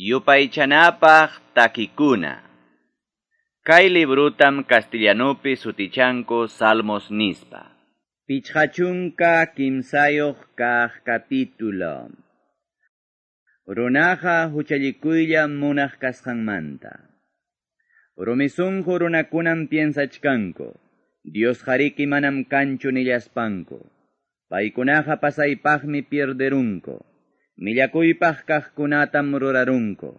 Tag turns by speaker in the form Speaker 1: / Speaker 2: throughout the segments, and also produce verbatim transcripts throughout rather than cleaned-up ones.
Speaker 1: Yupaychanapaq takikuna. Kay librutam castellanupi sutichanku Salmos nispa. Pichqa chunka kimsayuq kaq capítulo. Runaqa huchallikuylla munaq kasqanmanta. Rumisunqu runakunam piensachkanku, Dios hariki manam kanchu nillaspanku. Paykunaqa pasaypaqmi pierderunku. Millakuypaq kaqkunatam rurarunku.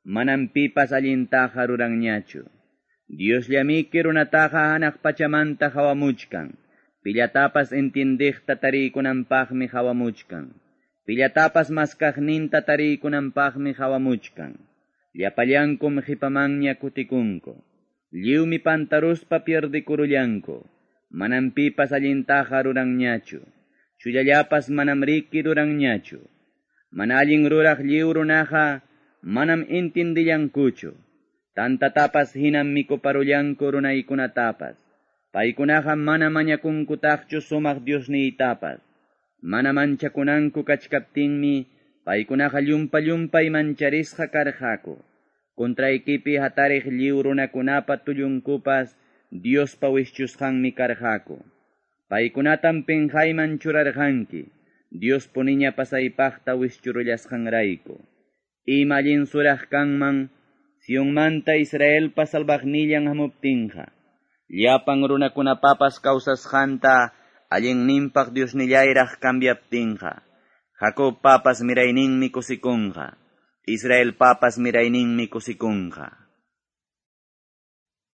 Speaker 1: Manam pipas allintaqa ruranñachu. Diosllamiki runataqa hanaq pachamanta hawamuchkan. Pillatapas entiendiqta tariykunanpaqmi hawamuchkan. Pillatapas maskaqninta tariykunanpaqmi hawamuchkan. Llapallankum qipamanña kutikunku. Lliwmi pantaruspa pierdikurullanku. Manam pipas allintaqa ruranñachu. Chullallapas manam riki ruranñachu. Mana allin ruraq lliw runaqa manam intindillankuchu. Tantatapas hinam mikuparullanku runaykunatapas. Paykunaqa mana mañakunkutaqchu sumaq Diosniytapas. Mana manchakunanku kachkaptinmi paykunaqa llumpa llumpay mancharisqa karqaku. Contraykipi hatariq lliw runakunapa tullunkupas Diospa wischusqanmi karqaku. Paykunatam pinqayman churarqanki. Dios puniña pasaypaqta wischurullasqanrayku. Ima allin suraq kanman Sionmanta Israelpa salvaqnillan hamuptinqa. Llapan runakunapapas kawsasqanta allinninpaq Diosnillayraq cambiaptinqa. Jacobpapas mirayninmi kusikunqa. Israelpapas mirayninmi kusikunqa.